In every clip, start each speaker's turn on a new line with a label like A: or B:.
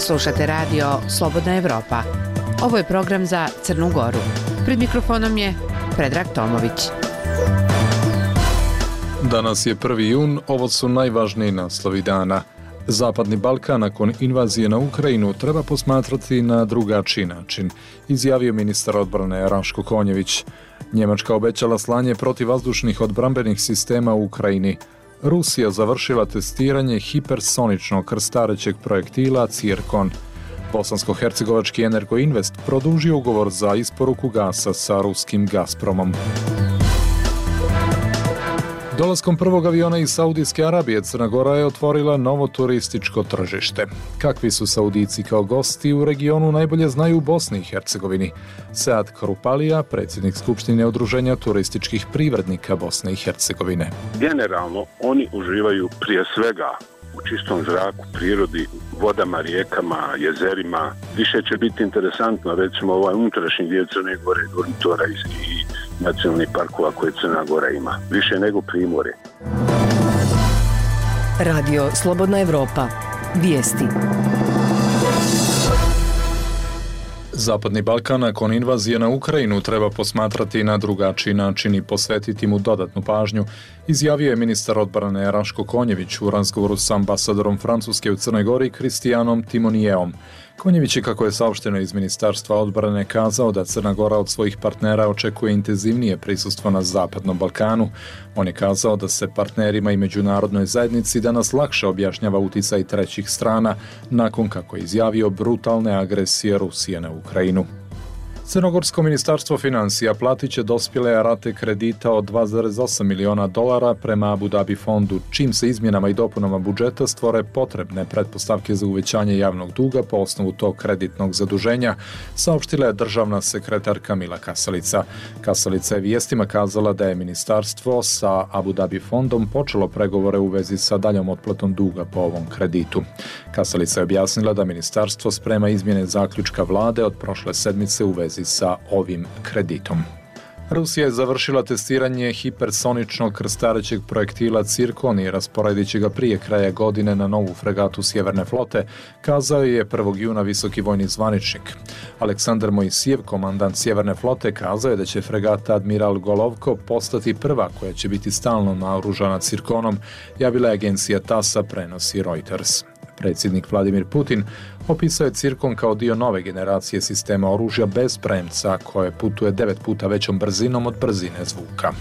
A: Slušate radio Slobodna Evropa. Ovo je program za Crnu Goru. Pred mikrofonom je Predrag Tomović.
B: Danas je 1. jun, ovo su najvažniji naslovi dana. Zapadni Balkan nakon invazije na Ukrajinu treba posmatrati na drugačiji način, izjavio ministar odbrane Raško Konjević. Njemačka obećala slanje protivvazdušnih odbrambenih sistema u Ukrajini. Rusija završila testiranje hipersoničnog krstarećeg projektila Cirkon. Bosansko-hercegovački Energoinvest produžio ugovor za isporuku gasa sa ruskim Gazpromom. Dolaskom prvog aviona iz Saudijske Arabije, Crna Gora je otvorila novo turističko tržište. Kakvi su Saudici kao gosti u regionu najbolje znaju u Bosni i Hercegovini. Sead Krupalija, predsjednik Skupštine Udruženja turističkih privrednika Bosne i Hercegovine.
C: Generalno, oni uživaju prije svega u čistom zraku, prirodi, vodama, rijekama, jezerima. Više će biti interesantno, recimo, ovaj unutrašnji dio Crne Gore, Dormitora i nacionalnih parkova koje Crna Gora ima. Više nego Primorje.
D: Radio Slobodna Evropa. Vijesti.
B: Zapadni Balkan nakon invazije na Ukrajinu treba posmatrati na drugačiji način i posvetiti mu dodatnu pažnju, izjavio je ministar odbrane Raško Konjević u razgovoru s ambasadorom Francuske u Crnoj Gori Kristijanom Timonijeom. Konjević je, kako je saopšteno iz Ministarstva odbrane, kazao da Crna Gora od svojih partnera očekuje intenzivnije prisustvo na Zapadnom Balkanu. On je kazao da se partnerima i međunarodnoj zajednici danas lakše objašnjava uticaj trećih strana nakon, kako je izjavio, brutalne agresije Rusije na Ukrajinu. Crnogorsko ministarstvo financija platit će dospjele rate kredita od $2,8 miliona prema Abu Dhabi fondu, čim se izmjenama i dopunama budžeta stvore potrebne pretpostavke za uvećanje javnog duga po osnovu tog kreditnog zaduženja, saopštila je državna sekretarka Mila Kasalica. Kasalica je vijestima kazala da je ministarstvo sa Abu Dhabi fondom počelo pregovore u vezi sa daljom otplatom duga po ovom kreditu. Kasalica je objasnila da ministarstvo sprema izmjene zaključka vlade od prošle sedmice u vezi sa ovim kreditom. Rusija je završila testiranje hipersoničnog krstarećeg projektila Cirkon i rasporedit će ga prije kraja godine na novu fregatu Sjeverne flote, kazao je 1. juna visoki vojni zvaničnik. Aleksandar Mojsijev, komandant Sjeverne flote, kazao je da će fregata Admiral Golovko postati prva koja će biti stalno naoružana Cirkonom, javila je agencija TASS, prenosi Reuters. Predsjednik Vladimir Putin opisao je Cirkon kao dio nove generacije sistema oružja bez premca koje putuje 9 puta većom brzinom od brzine zvuka.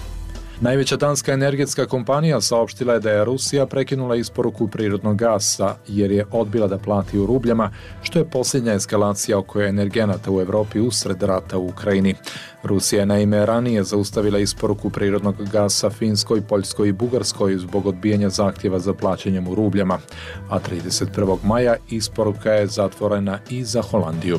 B: Najveća danska energetska kompanija saopštila je da je Rusija prekinula isporuku prirodnog gasa jer je odbila da plati u rubljama, što je posljednja eskalacija oko energenata u Europi usred rata u Ukrajini. Rusija je naime ranije zaustavila isporuku prirodnog gasa Finskoj, Poljskoj i Bugarskoj zbog odbijanja zahtjeva za plaćanjem u rubljama, a 31. maja isporuka je zatvorena i za Holandiju.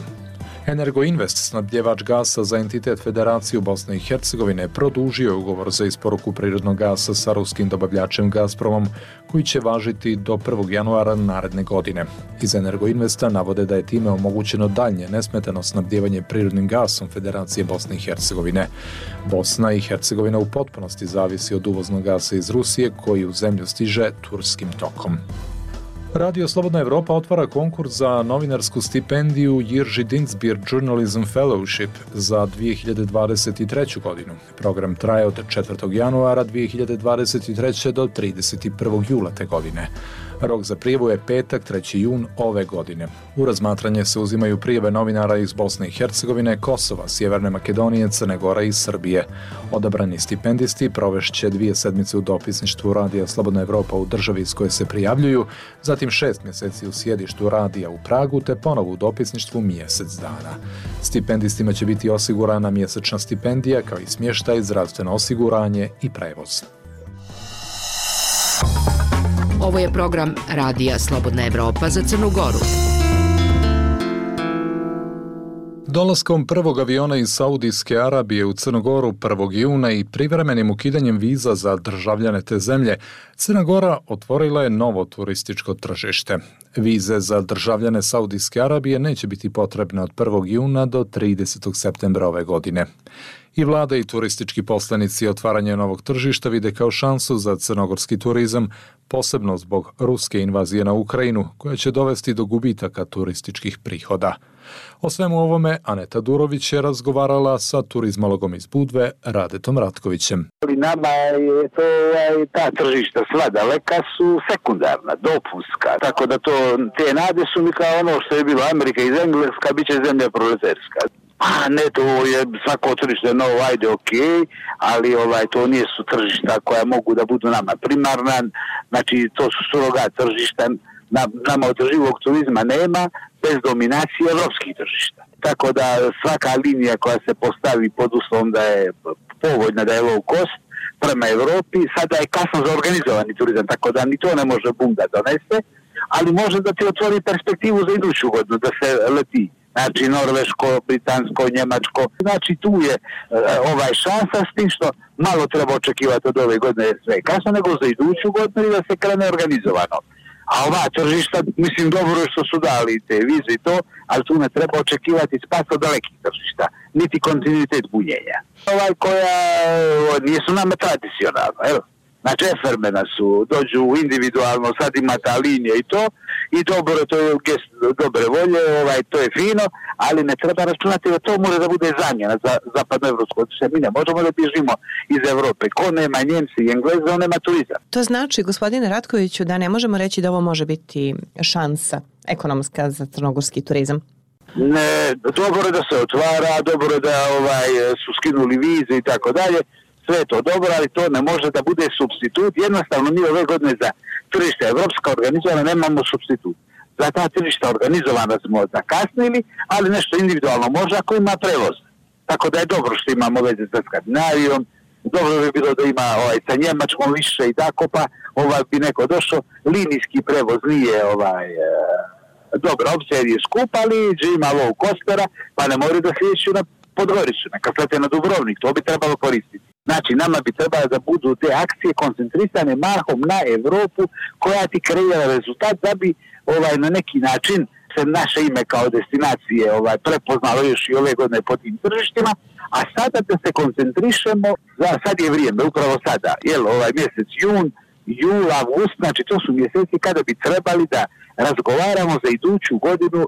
B: Energoinvest, snabdjevač gasa za entitet Federaciju Bosne i Hercegovine, produžio je ugovor za isporuku prirodnog gasa sa ruskim dobavljačem Gazpromom, koji će važiti do 1. januara naredne godine. Iz Energoinvesta navode da je time omogućeno daljnje nesmetano snabdjevanje prirodnim gasom Federacije Bosne i Hercegovine. Bosna i Hercegovina u potpunosti zavisi od uvoznog gasa iz Rusije, koji u zemlju stiže turskim tokom. Radio Slobodna Evropa otvara konkurs za novinarsku stipendiju Jirži Dinsbier Journalism Fellowship za 2023. godinu. Program traje od 4. januara 2023. do 31. jula te godine. Rok za prijavu je petak, 3. jun ove godine. U razmatranje se uzimaju prijave novinara iz Bosne i Hercegovine, Kosova, Sjeverne Makedonije, Crne Gore i Srbije. Odabrani stipendisti provešće 2 sedmice u dopisništvu Radija Slobodna Evropa u državi iz koje se prijavljuju, zatim 6 mjeseci u sjedištu radija u Pragu te ponovo u dopisništvu mjesec dana. Stipendistima će biti osigurana mjesečna stipendija kao i smještaj, zdravstveno osiguranje i prevoz.
A: Ovo je program Radija Slobodna Evropa za Crnu Goru.
B: Dolaskom prvog aviona iz Saudijske Arabije u Crnu Goru 1. juna i privremenim ukidanjem viza za državljane te zemlje, Crna Gora otvorila je novo turističko tržište. Vize za državljane Saudijske Arabije neće biti potrebne od 1. juna do 30. septembra ove godine. I vlada i turistički poslanici otvaranje novog tržišta vide kao šansu za crnogorski turizam, posebno zbog ruske invazije na Ukrajinu, koja će dovesti do gubitaka turističkih prihoda. O svemu ovome Aneta Durović je razgovarala sa turizmologom iz Budve Radetom Ratkovićem.
E: Nama je to, ta tržišta sva daleka su sekundarna, dopunska, tako da te nade su mi kao ono što je bilo Amerika iz Engleska, bit će zemlja proletarska. A ne, to je svako tržište novo, ajde, ok, ali to nije su tržišta koja mogu da budu nama primarna, znači to su surogat tržišta, nama održivog turizma nema bez dominacije evropskih tržišta. Tako da svaka linija koja se postavi pod uslovom da je povoljna, da je low cost prema Evropi, sada je kasno za organizovani turizam, tako da ni to ne može bum da donese, ali može da ti otvori perspektivu za iduću godinu, da se leti. Znači norveško, britansko, njemačko. Znači tu je šansa s tim što malo treba očekivati od ove godine sve kasno, nego za iduću godinu i da se krene organizovano. A ova tržišta, mislim, dobro je što su dali te vize i to, ali tu ne treba očekivati spas od dalekih tržišta, niti kontinuitet bunjenja. Koja nisu nama tradicionalno, evo. Znači efermena su, dođu individualno, sad ima ta linija i to, i dobro, to je gest dobre volje, to je fino, ali ne treba računati da to može da bude zamjena za zapadnoevropsko. Mi ne možemo da bježimo iz Evrope. Ko nema Njemci i Engleza, on nema turizam.
F: To znači, gospodine Ratkoviću, da ne možemo reći da ovo može biti šansa ekonomska za crnogorski turizam?
E: Ne, dobro je da se otvara, dobro je da su skinuli vize i tako dalje. Sve je to dobro, ali to ne može da bude supstitut. Jednostavno mi ove godine za tržište evropska organizovana nemamo supstitut. Za ta tržišta organizovana smo zakasnili, ali nešto individualno može ako ima prevoz. Tako da je dobro što imamo veze sa Skandinavijom, dobro bi bilo da ima sa Njemačkom više i tako, pa bi neko došao. Linijski prevoz nije dobra opcija jer je skup, ali ima low costera, pa ne moraju da slijeću na Podgoricu, neka slete na Dubrovnik, to bi trebalo koristiti. Znači, nama bi trebalo da budu te akcije koncentrisane mahom na Evropu koja ti kreira rezultat da bi na neki način se naše ime kao destinacije prepoznalo još i ove godine po tim tržištima, a sada da se koncentrišemo, sad je vrijeme, upravo sada, mjesec jul, avgust, znači to su mjeseci kada bi trebali da razgovaramo za iduću godinu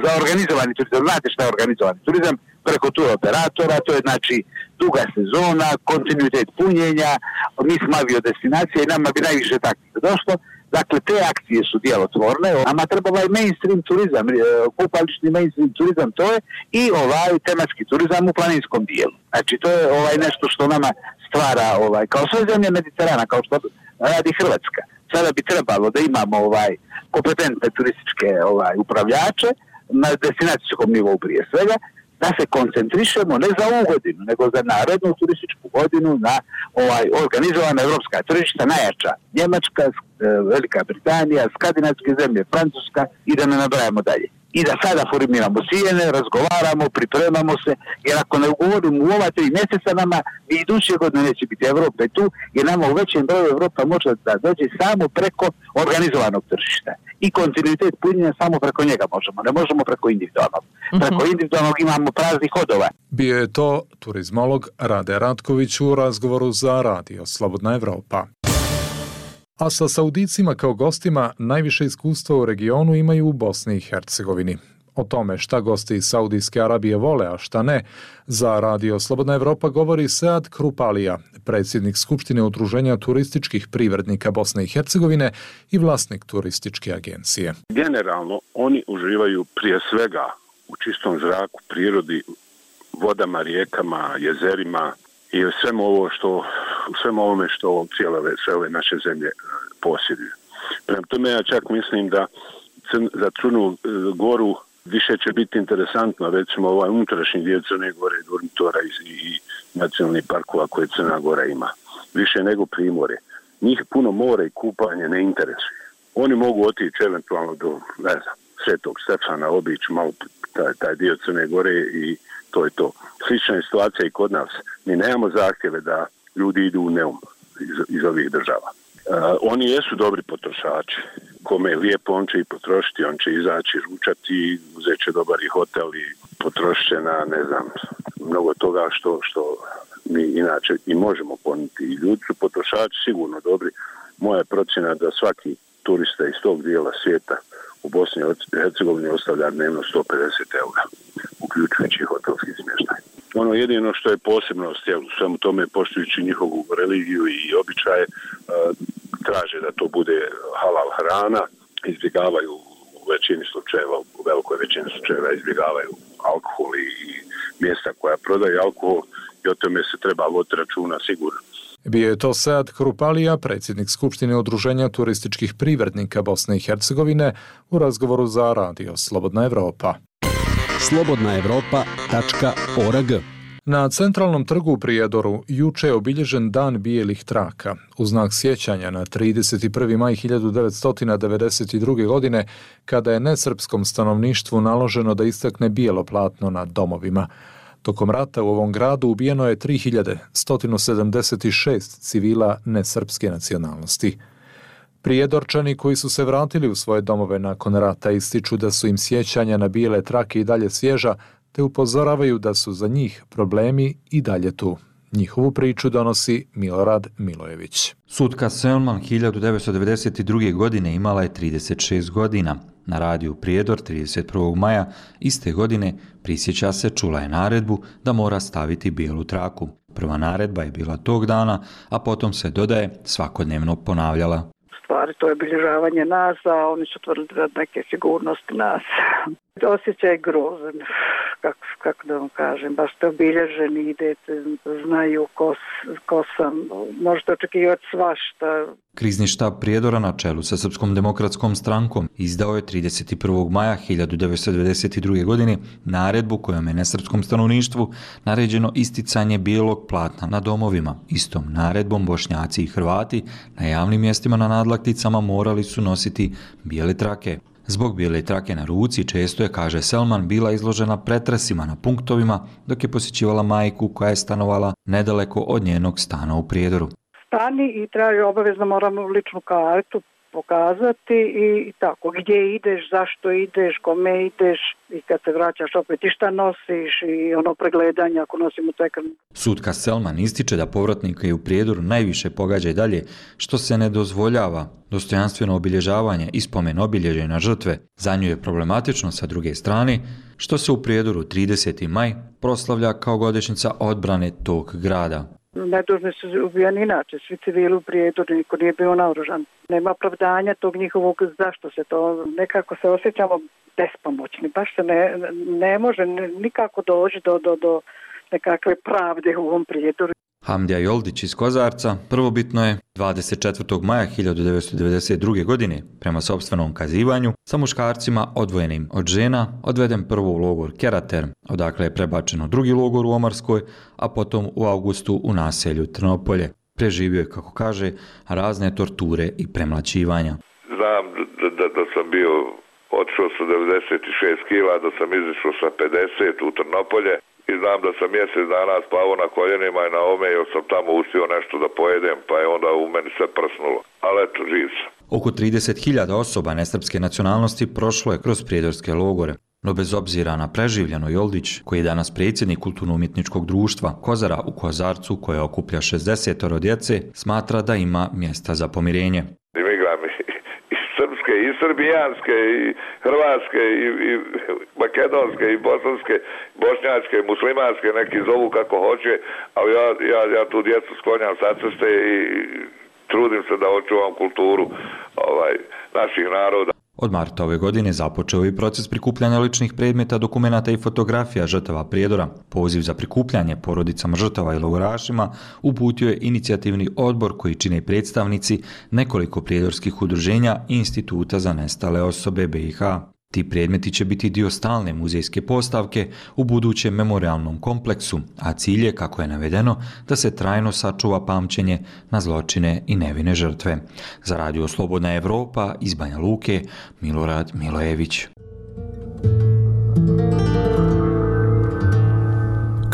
E: za organizovani turizam. Znate šta je organizovani turizam? Preko tur operatora, to je znači duga sezona, kontinuitet punjenja, mi smo avio destinacije i nama bi najviše takvih došlo. Dakle, te akcije su djelotvorne, nama treba mainstream turizam, kupališni mainstream turizam, to je i tematski turizam u planinskom dijelu. Znači, to je nešto što nama stvara, kao sve zemlje Mediterana, kao što radi Hrvatska. Sada bi trebalo da imamo kompetentne turističke upravljače na destinacijskom nivou prije svega, da se koncentrišemo ne za ovu godinu, nego za narednu turističku godinu na organizovana evropska tržišta, najjača Njemačka, Velika Britanija, skandinavske zemlje, Francuska i da ne nabrajamo dalje. I da sada formiramo cijene, razgovaramo, pripremamo se, jer ako ne ugovorimo u ova 3 mjeseca nama i iduće godine neće biti Evrope tu, jer nama u većem broju Evropa može da dođe samo preko organizovanog tržišta. I kontinuitet punjenja samo preko njega možemo, ne možemo preko individualnog. Preko individualnog imamo praznih hodova.
B: Bio je to turizmolog Rade Ratković u razgovoru za Radio Slobodna Evropa. A sa Saudicima kao gostima najviše iskustva u regionu imaju u Bosni i Hercegovini. O tome šta gosti iz Saudijske Arabije vole, a šta ne, za Radio Slobodna Evropa govori Sead Krupalija, predsjednik Skupštine Udruženja turističkih privrednika Bosne i Hercegovine i vlasnik turističke agencije.
C: Generalno, oni uživaju prije svega u čistom zraku, prirodi, vodama, rijekama, jezerima i u svemu ovome što sve ove naše zemlje posjeduju. Prema tome ja čak mislim da za Crnu Goru više će biti interesantno, recimo unutrašnji dio Crne Gore, Durmitora i nacionalnih parkova koje Crna Gora ima. Više nego Primorje. Njih puno more i kupanje ne interesuje. Oni mogu otići eventualno do, Svetog Stefana, obići malo taj dio Crne Gore i to je to. Slična je situacija i kod nas. Mi nemamo zahtjeve da ljudi idu u Neum iz ovih država. Oni jesu dobri potrošači. Kome je lijepo, on će i potrošiti, on će izaći, ručati, uzet će dobar i hotel i potrošit će na, mnogo toga što mi inače i možemo ponuditi. I ljudi su potrošači sigurno dobri. Moja procjena da svaki turista iz tog dijela svijeta u Bosni i Hercegovini ostavlja dnevno 150 eura, uključujući hotelski smještaj. Ono jedino što je posebnost u svemu tome, poštujući njihovu religiju i običaje, traže da to bude halal hrana, izbjegavaju u većini slučajeva, u velikoj većini slučajeva izbjegavaju alkohol i mjesta koja prodaju alkohol i o tome se treba voditi računa sigurno.
B: Bio je to Sead Krupalija, predsjednik Skupštine Udruženja turističkih privrednika Bosne i Hercegovine, u razgovoru za radio Slobodna Evropa.
G: slobodnaevropa.org.
B: Na centralnom trgu u Prijedoru juče je obilježen Dan bijelih traka, u znak sjećanja na 31. maj 1992. godine, kada je nesrpskom stanovništvu naloženo da istakne bijelo platno na domovima. Tokom rata u ovom gradu ubijeno je 3176 civila nesrpske nacionalnosti. Prijedorčani koji su se vratili u svoje domove nakon rata ističu da su im sjećanja na bijele trake i dalje svježa, te upozoravaju da su za njih problemi i dalje tu. Njihovu priču donosi Milorad Milojević.
H: Sutka Selman 1992. godine imala je 36 godina. Na radiju Prijedor 31. maja iste godine prisjeća se, čula je naredbu da mora staviti bijelu traku. Prva naredba je bila tog dana, a potom se, dodaje, svakodnevno ponavljala.
I: Stvari, to je obilježavanje nas, a oni su tvrdili da neke sigurnosti nas. Osjećaj je grozan, kako da vam kažem, baš ste obilježeni, idete, znaju ko sam, možete očekivati svašta.
H: Krizni štab Prijedora na čelu sa Srpskom demokratskom strankom izdao je 31. maja 1992. godine naredbu kojom je nesrpskom stanovništvu naređeno isticanje bijelog platna na domovima. Istom naredbom Bošnjaci i Hrvati na javnim mjestima na nadlakticama morali su nositi bijele trake. Zbog bijele trake na ruci često je, kaže Selman, bila izložena pretresima na punktovima dok je posjećivala majku koja je stanovala nedaleko od njenog stana u Prijedoru.
I: Stani i traži, obavezno moramo ličnu kartu pokazati i tako, gdje ideš, zašto ideš, kome ideš i kad se vraćaš opet i šta nosiš i ono pregledanje ako nosimo tekar.
H: Sutka Selman ističe da povratnika i u Prijedoru najviše pogađa i dalje što se ne dozvoljava dostojanstveno obilježavanje i spomen obilježja na žrtve. Za nju je problematično sa druge strane što se u Prijedoru 30. maj proslavlja kao godišnjica odbrane tog grada.
I: Nedužni su ubijani inače, svi civili u Prijedoru, niko nije bio naoružan. Nema opravdanja tog njihovog, zašto se to, nekako se osjećamo bespomoćni, baš se ne može nikako doći do nekakve pravde u ovom Prijedoru.
H: Hamdija Joldić iz Kozarca prvobitno je 24. maja 1992. godine, prema sopstvenom kazivanju, sa muškarcima odvojenim od žena, odveden prvo u logor Kerater, odakle je prebačeno drugi logor u Omarskoj, a potom u avgustu u naselju Trnopolje. Preživio je, kako kaže, razne torture i premlaćivanja.
J: Znam da sam bio otišao sa 96 kila, da sam izišao sa 50 u Trnopolje. I znam da sam mjesec dana spavao na koljenima i na ome, jer sam tamo uspio nešto da pojedem, pa je onda u meni sve prsnulo. Ali eto, živ sam.
H: Oko 30.000 osoba nesrpske nacionalnosti prošlo je kroz prijedorske logore. No bez obzira na preživljeno, Joldić, koji je danas predsjednik kulturno-umjetničkog društva Kozara u Kozarcu, koje okuplja 60 djece, smatra da ima mjesta za pomirenje.
J: Igram i srpske, i srbijanske, i hrvatske, i makedonske, i bosanske, bošnjačke, muslimanske, neki zovu kako hoće, ali ja tu djecu sklonjam sa ceste i trudim se da očuvam kulturu naših naroda.
H: Od marta ove godine započeo je proces prikupljanja ličnih predmeta, dokumenata i fotografija žrtava Prijedora. Poziv za prikupljanje porodicama žrtava i logorašima uputio je inicijativni odbor koji čine predstavnici nekoliko prijedorskih udruženja i Instituta za nestale osobe BiH. Ti predmeti će biti dio stalne muzejske postavke u budućem memorialnom kompleksu, a cilj je, kako je navedeno, da se trajno sačuva pamćenje na zločine i nevine žrtve. Za radio Slobodna Evropa iz Banja Luke, Milorad Milojević.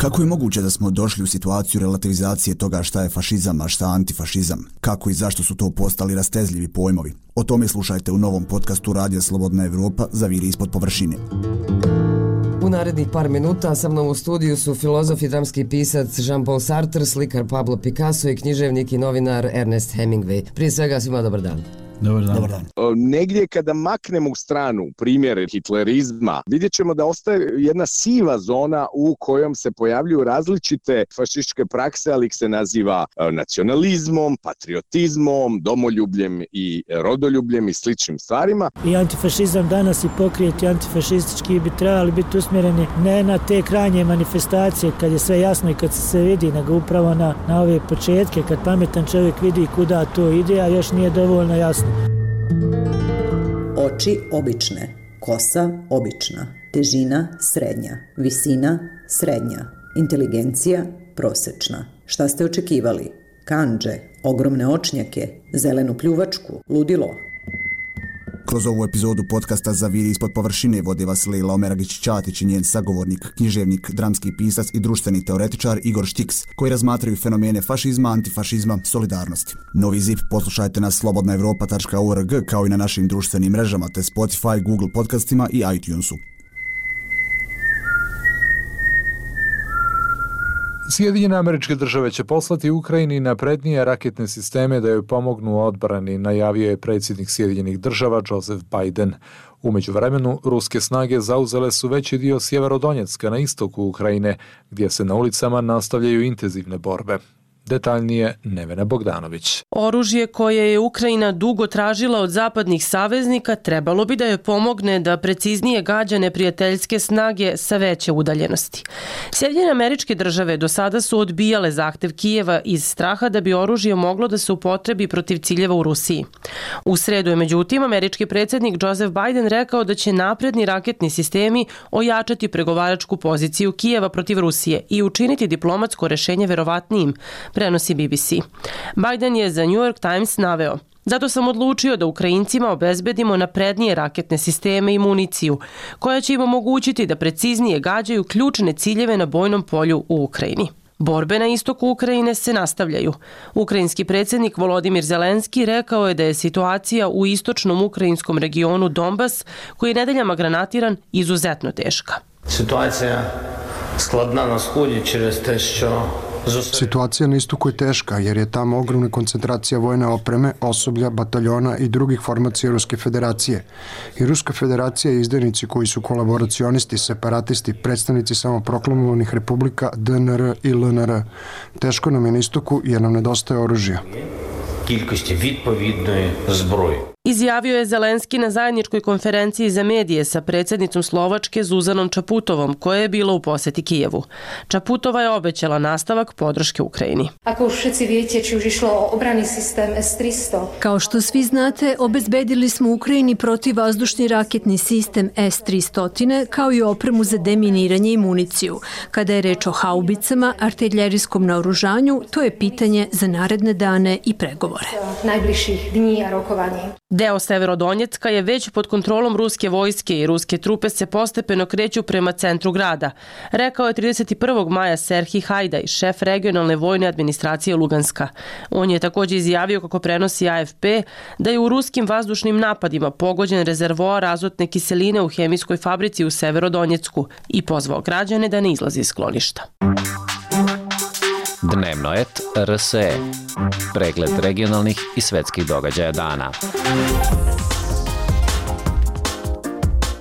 K: Kako je moguće da smo došli u situaciju relativizacije toga šta je fašizam, a šta antifašizam? Kako i zašto su to postali rastezljivi pojmovi? O tome slušajte u novom podcastu Radija Slobodna Evropa Zaviri ispod površine.
G: U narednih par minuta sa mnom u studiju su filozof i dramski pisac Jean-Paul Sartre, slikar Pablo Picasso i književnik i novinar Ernest Hemingway. Prije svega svima dobar dan.
L: Dobar dan. Negdje kada maknemo u stranu primjer hitlerizma, vidjet ćemo da ostaje jedna siva zona u kojom se pojavljuju različite fašističke prakse, ali ih se naziva nacionalizmom, patriotizmom, domoljubljem i rodoljubljem i sličnim stvarima.
M: I antifašizam danas i pokrijeti antifašistički bi trebali biti usmjereni ne na te krajnje manifestacije kad je sve jasno i kad se vidi, nego upravo na ove početke kad pametan čovjek vidi kuda to ide, a još nije dovoljno jasno.
N: Oči obične, kosa obična, težina srednja, visina srednja, inteligencija prosječna. Šta ste očekivali? Kandže, ogromne očnjake, zelenu pljuvačku, ludilo.
K: Kroz ovu epizodu podcasta Zaviri ispod površine vodi vas Lejla Omeragić-Ćatić i njen sagovornik, književnik, dramski pisac i društveni teoretičar Igor Štiks, koji razmatraju fenomene fašizma, antifašizma, solidarnosti. Novi zip poslušajte na slobodnaevropa.org kao i na našim društvenim mrežama te Spotify, Google podcastima i iTunesu.
B: Sjedinjene Američke Države će poslati Ukrajini naprednije raketne sisteme da joj pomognu u odbrani, najavio je predsjednik Sjedinjenih Država Joseph Biden. U međuvremenu, ruske snage zauzele su veći dio Sjeverodonjecka na istoku Ukrajine, gdje se na ulicama nastavljaju intenzivne borbe. Detaljnije Nevena Bogdanović.
O: Oružje koje je Ukrajina dugo tražila od zapadnih saveznika trebalo bi da joj pomogne da preciznije gađa neprijateljske snage sa veće udaljenosti. Sjedinjene Američke Države do sada su odbijale zahtev Kijeva iz straha da bi oružje moglo da se upotrebi protiv ciljeva u Rusiji. U sredu je međutim američki predsjednik Joseph Biden rekao da će napredni raketni sistemi ojačati pregovaračku poziciju Kijeva protiv Rusije i učiniti diplomatsko rešenje verovatnijim, prenosi BBC. Biden je za New York Times naveo: zato sam odlučio da Ukrajincima obezbedimo naprednije raketne sisteme i municiju, koja će im omogućiti da preciznije gađaju ključne ciljeve na bojnom polju u Ukrajini. Borbe na istoku Ukrajine se nastavljaju. Ukrajinski predsjednik Volodimir Zelenski rekao je da je situacija u istočnom ukrajinskom regionu Donbas, koji je nedeljama granatiran, izuzetno teška.
P: Situacija skladna na sході через те, що
Q: Situacija na istoku je teška jer je tamo ogromna koncentracija vojne opreme, osoblja, bataljona i drugih formacija Ruske federacije. I Ruska federacija i izdajnici koji su kolaboracionisti, separatisti, predstavnici samoproklamovanih republika DNR i LNR. Teško nam je na istoku jer nam nedostaje oružja.
P: Кількості відповідної зброї.
O: Izjavio je Zelenski na zajedničkoj konferenciji za medije sa predsjednicom Slovačke Zuzanom Čaputovom, koja je bila u posjeti Kijevu. Čaputova je obećala nastavak podrške Ukrajini.
R: Ako už všetci viete, či už išlo o obrany sistem S-300.
S: Kao što svi znate, obezbedili smo Ukrajini protivvazdušni raketni sistem S-300, kao i opremu za deminiranje i municiju. Kada je reč o haubicama, artiljerijskom naoružanju, to je pitanje za naredne dane i pregovore.
R: Najbližších dní a rokovaní.
O: Deo Severodonjecka je već pod kontrolom ruske vojske i ruske trupe se postepeno kreću prema centru grada, rekao je 31. maja Serhij Hajdaj, šef regionalne vojne administracije Luganska. On je također izjavio, kako prenosi AFP, da je u ruskim vazdušnim napadima pogođen rezervoar azotne kiseline u hemijskoj fabrici u Severodonjecku i pozvao građane da ne izlazi iz skloništa.
T: Dnevnoet RSE. Pregled regionalnih i svetskih događaja dana.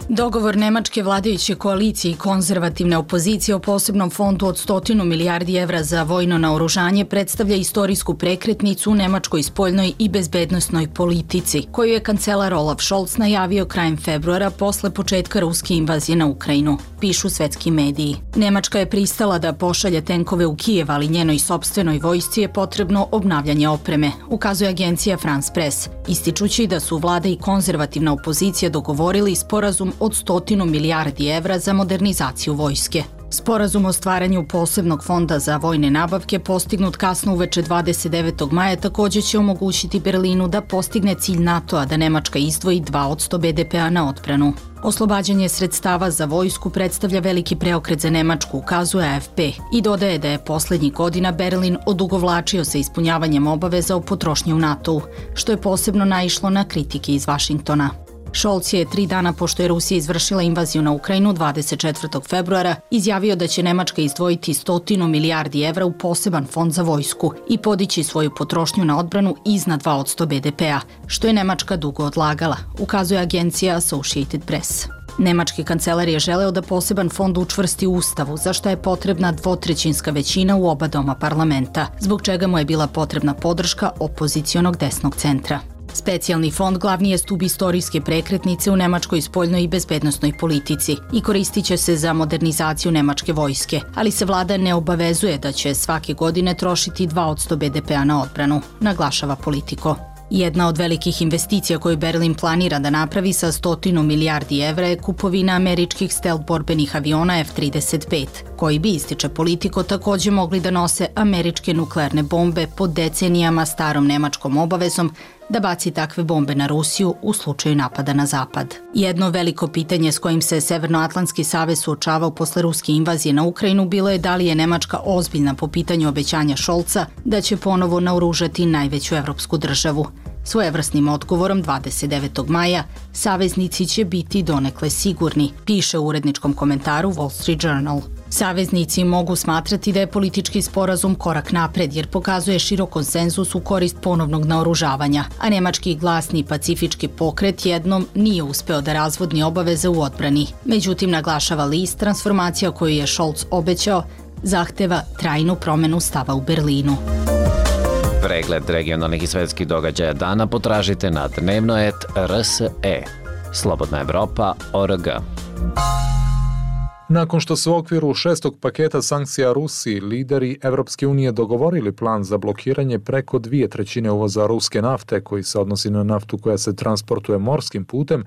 U: Dogovor nemačke vladajuće koalicije i konzervativne opozicije o posebnom fondu od 100 milijardi evra za vojno naoružanje predstavlja istorijsku prekretnicu u nemačkoj spoljnoj i bezbednosnoj politici, koju je kancelar Olaf Scholz najavio krajem februara posle početka ruske invazije na Ukrajinu, pišu svetski mediji. Nemačka je pristala da pošalje tenkove u Kijev, ali njenoj sopstvenoj vojsci je potrebno obnavljanje opreme, ukazuje agencija France Press, ističući da su vlada i konzervativna opozicija dogovorili sporazum od 100 milijardi evra za modernizaciju vojske. Sporazum o stvaranju posebnog fonda za vojne nabavke postignut kasno uveče 29. maja također će omogućiti Berlinu da postigne cilj NATO-a da Nemačka izdvoji 2% BDP-a na odbranu. Oslobađanje sredstava za vojsku predstavlja veliki preokret za Nemačku, ukazuje AFP, i dodaje da je posljednjih godina Berlin odugovlačio sa ispunjavanjem obaveza o potrošnji u NATO-u, što je posebno naišlo na kritike iz Vašingtona. Scholz je 3 dana pošto je Rusija izvršila invaziju na Ukrajinu 24. februara izjavio da će Nemačka izdvojiti 100 milijardi evra u poseban fond za vojsku i podići svoju potrošnju na odbranu iznad 2% BDP-a, što je Nemačka dugo odlagala, ukazuje agencija Associated Press. Nemački kancelar je želeo da poseban fond učvrsti u Ustavu, za što je potrebna 2/3 većina u oba doma parlamenta, zbog čega mu je bila potrebna podrška opozicionog desnog centra. Specijalni fond glavni je stub istorijske prekretnice u nemačkoj spoljnoj i bezbednosnoj politici i koristit će se za modernizaciju nemačke vojske, ali se vlada ne obavezuje da će svake godine trošiti 2% BDP-a na odbranu, naglašava Politico. Jedna od velikih investicija koju Berlin planira da napravi sa 100 milijardi evra je kupovina američkih stealth borbenih aviona F-35, koji bi, ističe Politico, takođe mogli da nose američke nuklearne bombe pod decenijama starom nemačkom obavezom da baci takve bombe na Rusiju u slučaju napada na Zapad. Jedno veliko pitanje s kojim se Severnoatlantski savez suočavao posle ruske invazije na Ukrajinu bilo je da li je Nemačka ozbiljna po pitanju obećanja Scholza da će ponovo naoružati najveću evropsku državu. Svojevrsnim odgovorom 29. maja saveznici će biti donekle sigurni, piše u uredničkom komentaru Wall Street Journal. Saveznici mogu smatrati da je politički sporazum korak napred jer pokazuje širok konsenzus u korist ponovnog naoružavanja, a nemački glasni pacifički pokret jednom nije uspeo da razvodni obaveze u odbrani. Međutim, naglašava list, transformacija koju je Scholz obećao zahteva trajnu promenu stava u Berlinu.
T: Pregled regionalnih i svetskih događaja dana potražite na dnevnoet.rse. Slobodna Evropa.org.
B: Nakon što su u okviru 6. paketa sankcija Rusiji, lideri Evropske unije dogovorili plan za blokiranje preko 2/3 uvoza ruske nafte, koji se odnosi na naftu koja se transportuje morskim putem,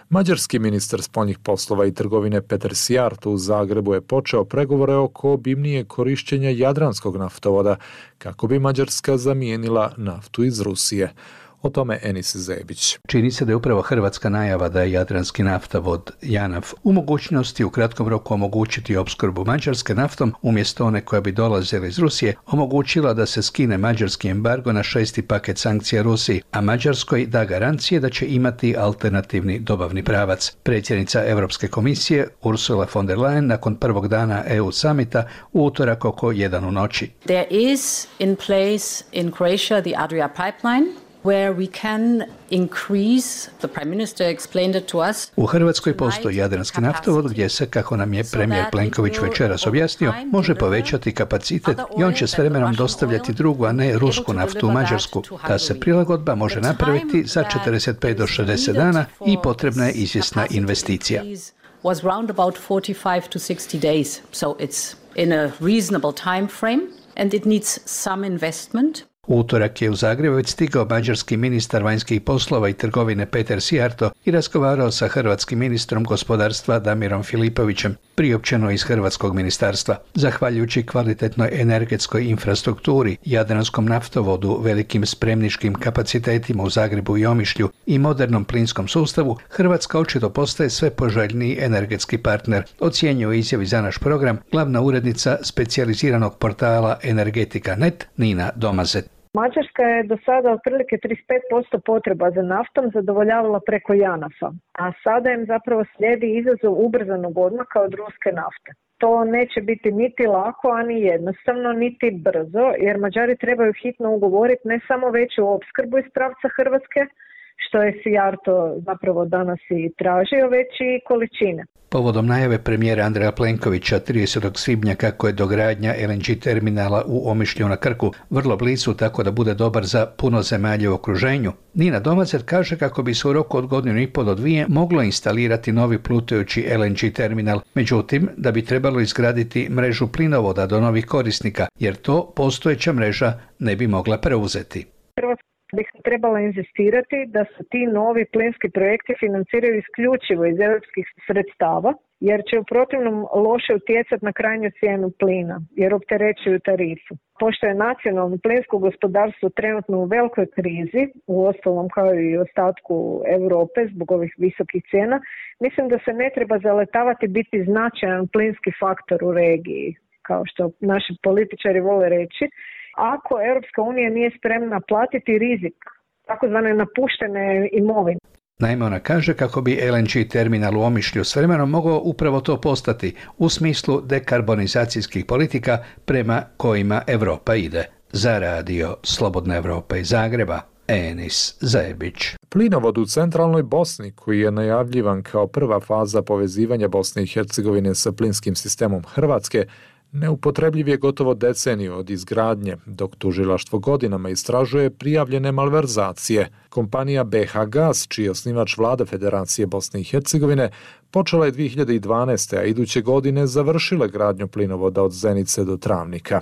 B: mađarski ministar spoljnih poslova i trgovine Peter Szijjártó u Zagrebu je počeo pregovore oko obimnije korišćenja Jadranskog naftovoda, kako bi Mađarska zamijenila naftu iz Rusije. O tome Enis Zebić.
D: Čini se da je upravo hrvatska najava da je Jadranski naftavod JANAF u mogućnosti u kratkom roku omogućiti opskrbu Mađarske naftom umjesto one koja bi dolazila iz Rusije, omogućila da se skine mađarski embargo na 6. paket sankcija Rusiji, a Mađarskoj da garancije da će imati alternativni dobavni pravac. Predsjednica Europske komisije Ursula von der Leyen nakon prvog dana EU samita u utorak oko 1 u noći.
V: There is in place in Croatia the Adria pipeline, where we can increase, the Prime Minister explained it to us.
D: U Hrvatskoj postoji Jadranski naftovod gdje se, kako nam je premijer Plenković večeras objasnio, može povećati kapacitet i on će s vremenom dostavljati drugu, a ne rusku naftu u Mađarsku. Ta se prilagodba može napraviti za 45 do 60 dana i potrebna je izvjesna investicija.
V: Was round about 45 to 60 days, so it's in a reasonable time frame and it needs some investment.
D: U utorak je u Zagrebu već stigao mađarski ministar vanjskih poslova i trgovine Peter Szijjártó i razgovarao sa hrvatskim ministrom gospodarstva Damirom Filipovićem, priopćeno iz hrvatskog ministarstva. Zahvaljujući kvalitetnoj energetskoj infrastrukturi, Jadranskom naftovodu, velikim spremničkim kapacitetima u Zagrebu i Omišlju i modernom plinskom sustavu, Hrvatska očito postaje sve poželjniji energetski partner, ocjenjuje u izjavi za naš program glavna urednica specijaliziranog portala Energetika.net Nina Domazet.
W: Mađarska je do sada otprilike 35% potreba za naftom zadovoljavala preko JANAF-a, a sada im zapravo slijedi izazov ubrzanog odmaka od ruske nafte. To neće biti niti lako, ani jednostavno, niti brzo, jer Mađari trebaju hitno ugovoriti ne samo veću opskrbu iz pravca Hrvatske, što je Szijjártó zapravo danas i tražio, već i količine.
D: Povodom najave premijera Andreja Plenkovića 30. svibnja kako je dogradnja LNG terminala u Omišlju na Krku vrlo blizu tako da bude dobar za puno zemalja u okruženju, Nina Domazet kaže kako bi se u roku od 1,5 do 2 moglo instalirati novi plutajući LNG terminal, međutim da bi trebalo izgraditi mrežu plinovoda do novih korisnika, jer to postojeća mreža ne bi mogla preuzeti.
W: Bi trebala inzistirati da se ti novi plinski projekti financiraju isključivo iz europskih sredstava, jer će u protivnom loše utjecati na krajnju cijenu plina, jer opterećuju tarifu. Pošto je nacionalno plinsko gospodarstvo trenutno u velikoj krizi, u ostalom kao i ostatku Europe zbog ovih visokih cijena, mislim da se ne treba zaletavati biti značajan plinski faktor u regiji, kao što naši političari vole reći, ako Europska unija nije spremna platiti rizik takozvane napuštene imovine.
D: Naime, ona kaže kako bi LNG terminal u Omišlju s vremenom mogao upravo to postati u smislu dekarbonizacijskih politika prema kojima Europa ide. Za radio Slobodna Evropa iz Zagreba, Enis Zajebić.
B: Plinovod u centralnoj Bosni, koji je najavljivan kao prva faza povezivanja Bosne i Hercegovine sa plinskim sistemom Hrvatske, neupotrebljiv je gotovo deceniju od izgradnje, dok tužilaštvo godinama istražuje prijavljene malverzacije. Kompanija BH Gas, čiji je osnivač Vlada Federacije Bosne i Hercegovine, počela je 2012. a iduće godine završila gradnju plinovoda od Zenice do Travnika.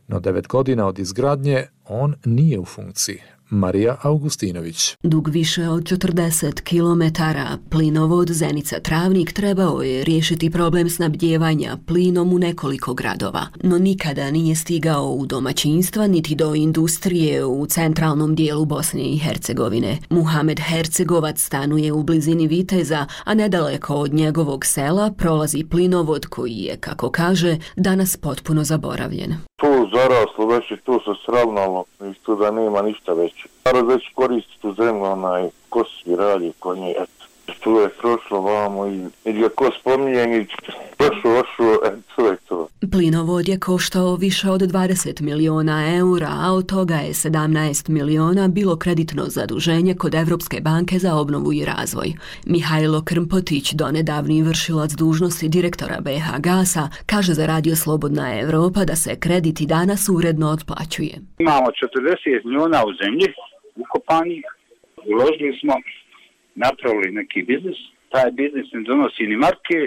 B: No 9 godina od izgradnje on nije u funkciji. Marija Augustinović.
A: Dug više od 40 km, plinovod Zenica-Travnik trebao je riješiti problem snabdijevanja plinom u nekoliko gradova, no nikada nije stigao u domaćinstva niti do industrije u centralnom dijelu Bosne i Hercegovine. Muhamed Hercegovac stanuje u blizini Viteza, a nedaleko od njegovog sela prolazi plinovod koji je, kako kaže, danas potpuno zaboravljen.
E: Tu zaraslo već i tu se sravnalo i tu da nema ništa već. Narod već koristi tu zemlju, ko svi radi konje, eto. Tu je prošlo vamo i ga ko spominje i prošlo, to je to.
A: Plinovod je koštao više od 20 miliona eura, a od toga je 17 miliona bilo kreditno zaduženje kod Evropske banke za obnovu i razvoj. Mihajlo Krmpotić, donedavni vršilac dužnosti direktora BH Gasa, kaže za radio Slobodna Evropa da se kredit i danas uredno otplaćuje.
F: Imamo 40 miliona u zemlji, ukopanih, uložili smo, napravili neki biznis, taj biznis ne donosi ni marke,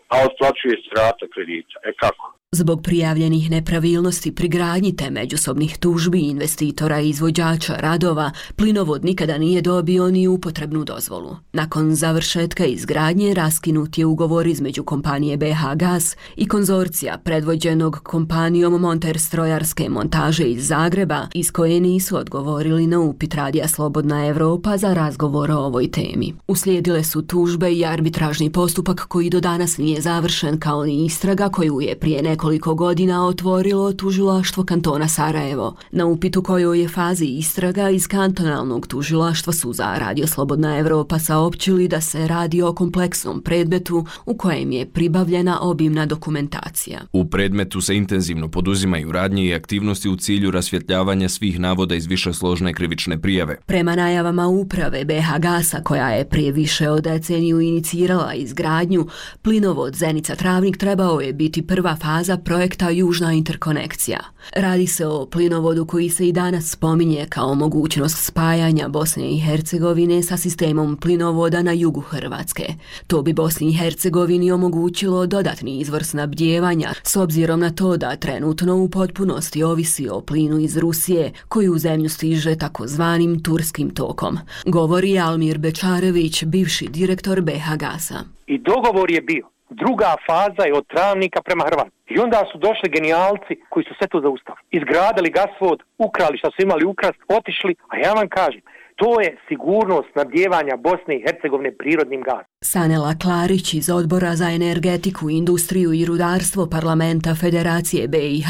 F: a otplaćuje se rata kredita. Kako?
A: Zbog prijavljenih nepravilnosti pri gradnji te međusobnih tužbi investitora i izvođača radova, plinovod nikada nije dobio ni upotrebnu dozvolu. Nakon završetka izgradnje raskinut je ugovor između kompanije BH Gas i konzorcija predvođenog kompanijom Monter strojarske montaže iz Zagreba, iz koje nisu odgovorili na upit radija Slobodna Evropa za razgovor o ovoj temi. Uslijedile su tužbe i arbitražni postupak koji do danas nije završen, kao ni istraga koju je prije nekoliko godina otvorilo tužilaštvo kantona Sarajevo. Na upitu kojoj je fazi istraga iz kantonalnog tužilaštva su za radio Slobodna Evropa saopćili da se radi o kompleksnom predmetu u kojem je pribavljena obimna dokumentacija.
X: U predmetu se intenzivno poduzimaju radnje i aktivnosti u cilju rasvjetljavanja svih navoda iz višesložne krivične prijave.
A: Prema najavama uprave BH Gasa, koja je prije više od deceniju inicirala izgradnju, plinovod Zenica-Travnik trebao je biti prva faza projekta Južna interkonekcija. Radi se o plinovodu koji se i danas spominje kao mogućnost spajanja Bosne i Hercegovine sa sistemom plinovoda na jugu Hrvatske. To bi Bosni i Hercegovini omogućilo dodatni izvor snabdijevanja, s obzirom na to da trenutno u potpunosti ovisi o plinu iz Rusije, koji u zemlju stiže takozvanim turskim tokom. Govori Almir Bečarević, bivši direktor BH Gasa.
Y: I dogovor je bio. Druga faza je od Travnika prema Hrvatskoj. I onda su došli genijalci koji su sve to zaustavili. Izgradili gasvod, ukrali što su imali ukrast, otišli, a ja vam kažem, to je sigurnost snabdijevanja Bosne i Hercegovine prirodnim gazom.
A: Sanela Klarić iz Odbora za energetiku, industriju i rudarstvo Parlamenta Federacije BiH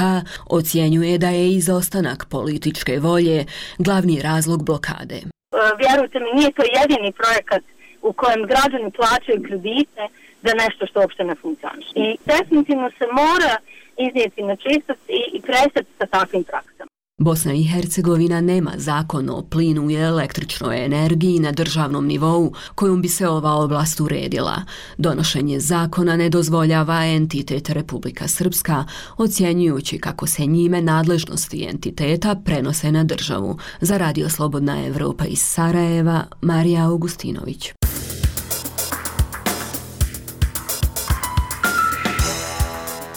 A: ocjenjuje da je izostanak političke volje glavni razlog blokade.
Z: Vjerujte mi, nije to jedini projekat u kojem građani plaćaju kredite za nešto što uopšte ne funkcioniše. I definitivno se mora iznijeti na čistost i prestati sa takvim praksama.
A: Bosna i Hercegovina nema zakon o plinu i električnoj energiji na državnom nivou kojom bi se ova oblast uredila. Donošenje zakona ne dozvoljava entitet Republika Srpska, ocjenjujući kako se njime nadležnosti entiteta prenose na državu. Za radio Slobodna Evropa iz Sarajeva, Marija Augustinović.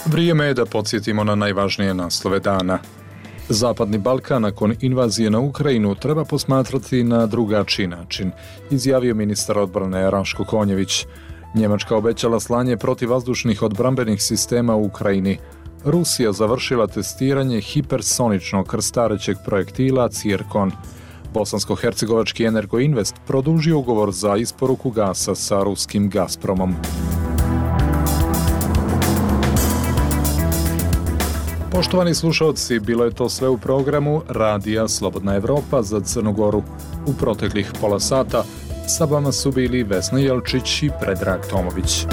B: Vrijeme je da podsjetimo na najvažnije naslove dana. Zapadni Balkan nakon invazije na Ukrajinu treba posmatrati na drugačiji način, izjavio ministar odbrane Raško Konjević. Njemačka obećala slanje protivvazdušnih odbrambenih sistema u Ukrajini. Rusija završila testiranje hipersoničnog krstarećeg projektila Cirkon. Bosansko-hercegovački Energoinvest produžio ugovor za isporuku gasa sa ruskim Gazpromom. Poštovani slušalci, bilo je to sve u programu Radija Slobodna Evropa za Crnu Goru. U proteklih pola sata Sa vama su bili Vesna Jelčić i Predrag Tomović.